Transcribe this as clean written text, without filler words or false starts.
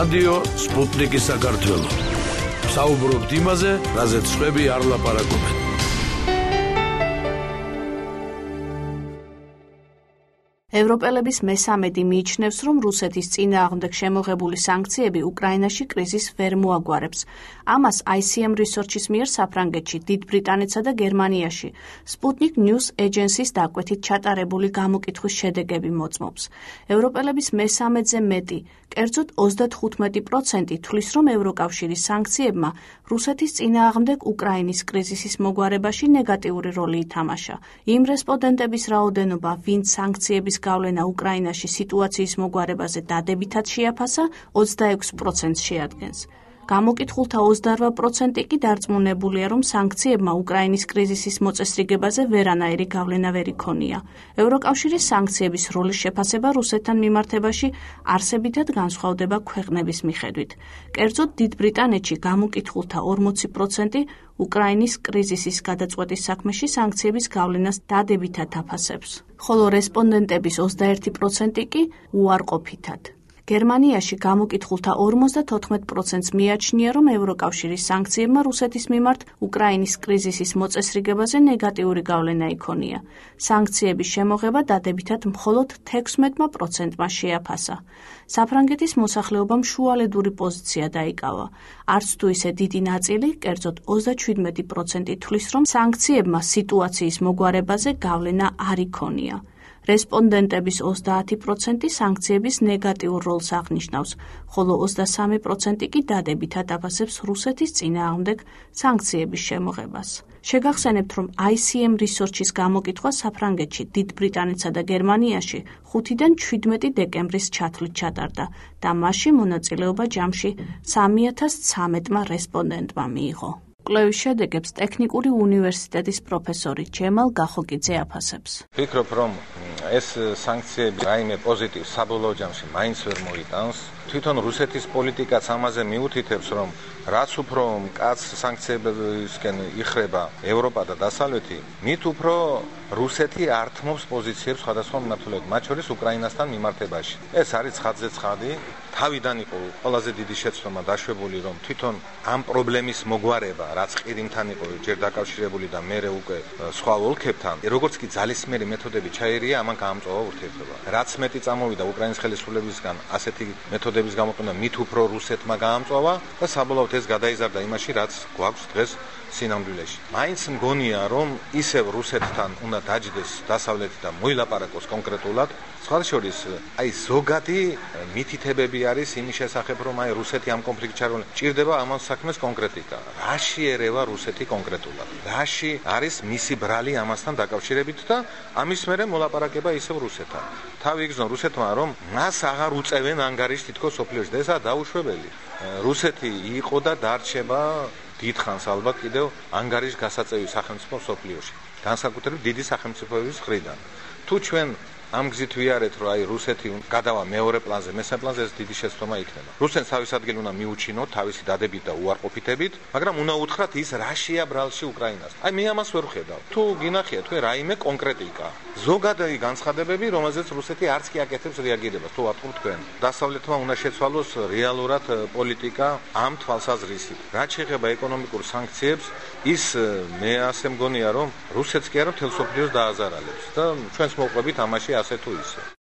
რადიო სპუტნიკი საქართველო. საუბრობთ იმაზე, რაზეც სხვები არ ლაპარაკობენ. ევროპელების მესამედი მიიჩნევს, რომ რუსეთის წინააღმდეგ შემოღებული სანქციები უკრაინაში კრიზისს ვერ მოაგვარებს. ამას ICM Research-ის მიერ საფრანგეთში, დიდ ბრიტანეთსა და გერმანიაში Sputnik News Agency-ს დაკვეთით ჩატარებული გამოკითხვის შედეგები მოწმობს. ევროპელების მესამედზე მეტი, კერძოდ 35% თვლის, რომ ევროკავშირის სანქციებმა რუსეთის წინააღმდეგ უკრაინის კრიზისის მოგვარებაში ნეგატიური როლი ითამაშა. იმ რესპონდენტების რაოდენობა, ვინც სანქციების გავლენა უკრაინაში სიტუაციის მოგვარებაზე დადებითად შეაფასა, 26% შეადგენს. გამოკითხულთა 28% კი დარწმუნებულია, რომ სანქციებმა უკრაინის კრიზისის მოწესრიგებაზე ვერანაირი გავლენა ვერ იქონია. ევროკავშირის სანქციების როლის შეფასება რუსეთთან მიმართებაში არსებითად განსხვავდება ქვეყნების მიხედვით. კერძოდ, დიდ ბრიტანეთში გამოკითხულთა 40% უკრაინის კრიზისის გადაწყვეტის საქმეში სანქციების გავლენას დადებითად აფასებს, ხოლო რესპონდენტების 21% კი უარყოფითად. გერმანიაში გამოკითხულთა 54%-ს მიაჩნია, რომ ევროკავშირის სანქციებმა რუსეთის მიმართ უკრაინის კრიზისის მოწესრიგებაზე ნეგატიური გავლენა იქონია. სანქციების შემოღება დადებითად მხოლოდ 16%-მა შეაფასა. საფრანგეთის მოსახლეობამ შუალედური პოზიცია დაიკავა. არც თუ ისე დიდი ნაწილი, კერძოდ 37% თვლის, რომ სანქციებმა სიტუაციის მოგვარებაზე გავლენა არ იქონია. რესპონდენტების 30% სანქციების ნეგატიურ როლს აღნიშნავს, ხოლო 23% კი დადებითად აფასებს რუსეთის წინააღმდეგ სანქციების შემოღებას. შეგახსენებთ, რომ ICM Research-ის გამოკითხვა საფრანგეთში, დიდ ბრიტანეთსა და გერმანიაში 5-დან 17 დეკემბრის ჩათვლით ჩატარდა და მასში მონაწილეობა ჯამში 3013-მა რესპონდენტმა მიიღო. კვლევის შედეგებს ტექნიკური უნივერსიტეტის პროფესორი ჯემალ გახოკიძე აფასებს. ვფიქრობ, რომ ეს სანქციები რაიმე პოზიტივს საბოლოო ჯამში მაინც ვერ მოიტანს. თვითონ რუსეთის პოლიტიკაც ამაზე მიუთითებს, რომ რაც უფრო მკაცრ სანქციებისკენ იხრება ევროპა და დასავლეთი, მით უფრო რუსეთი ართმობს პოზიციებს სხვადასხვა მიმართულებად, მათ შორის უკრაინასთან მიმართებაში. ეს არის ცხადზე ცხადი. თავიდან იყო ყველაზე დიდი შეცდომა დაშვებული, რომ თვითონ ამ პრობლემის მოგვარება, რაც ყირიმთან იყო ჯერ დაკავშირებული და მერე უკვე სხვა ოლქებთან, როგორც კი ძალისმიერი მეთოდები ჩაერია, ამან გაამწვავა ურთიერთობა. რაც მეტი წამოვიდა უკრაინის ხელისუფლებისგან ასეთი მეთოდების გამოყენება, მით უფრო რუსეთმა გაამწვავა და საბოლოოდ ეს გადაიზარდა იმაში, რაც გვაქვს დღეს სინამდვილეში. მაინც მგონია, რომ ისევ რუსეთთან უნდა დაჯდეს დასავლეთი და მოილაპარაკოს კონკრეტულად. სხვათა შორის, ზოგადი მითითებები არის იმის შესახებ, რომ რუსეთი ამ კონფლიქტში ჩარეული. ჭირდება ამ საქმეს კონკრეტიკა. რაში ერევა რუსეთი კონკრეტულად? რაში არის მისი ბრალი ამასთან დაკავშირებით და ამის მერე მოლაპარაკება ისევ რუსეთთან. თავი იგრძნო რუსეთმა, რომ მას აღარ უწევენ ანგარიშს თითქოს სოფლიოში და ესაა დაუშვებელი. რუსეთი იყო და დარჩება დიდხანს ალბათ კიდევ ანგარიშ გასაწევი სახელმწიფო სოფლიოში. განსაკუთრებით დიდი სახელმწიფოების მხრიდან. თუ ჩვენ ამ გზით ვიარეთ, რომ რუსეთი გადავა მეორე პლანზე, მესამე პლანზე, ეს დიდი შეცდომა იქნება. რუსეთს თავის ადგილი უნდა მიუჩინოთ, თავისი დადებით და უარყოფითებით, მაგრამ უნდა უთხრათ ის რაშია ბრალში უკრაინას. მე ამას ვერ ვხედავ. თუ გინახიათ, რაიმე კონკრეტიკა, ზოგადად განცხადებები, რომელზეც რუსეთი არც კი აკეთებს რეაგირებას, თუ ვატყობთ თქვენ. დასავლეთმა უნდა შეცვალოს რეალურად პოლიტიკა ამ თვალსაზრისით. რაც შეეხება ეკონომიკურ სანქციებს, ის მე ასე მგონია, რომ რუსეთს კი არა, მთელ მსოფლიოს დააზარალებს და ჩვენს მოყვებით ამაში ასე თუ ისე.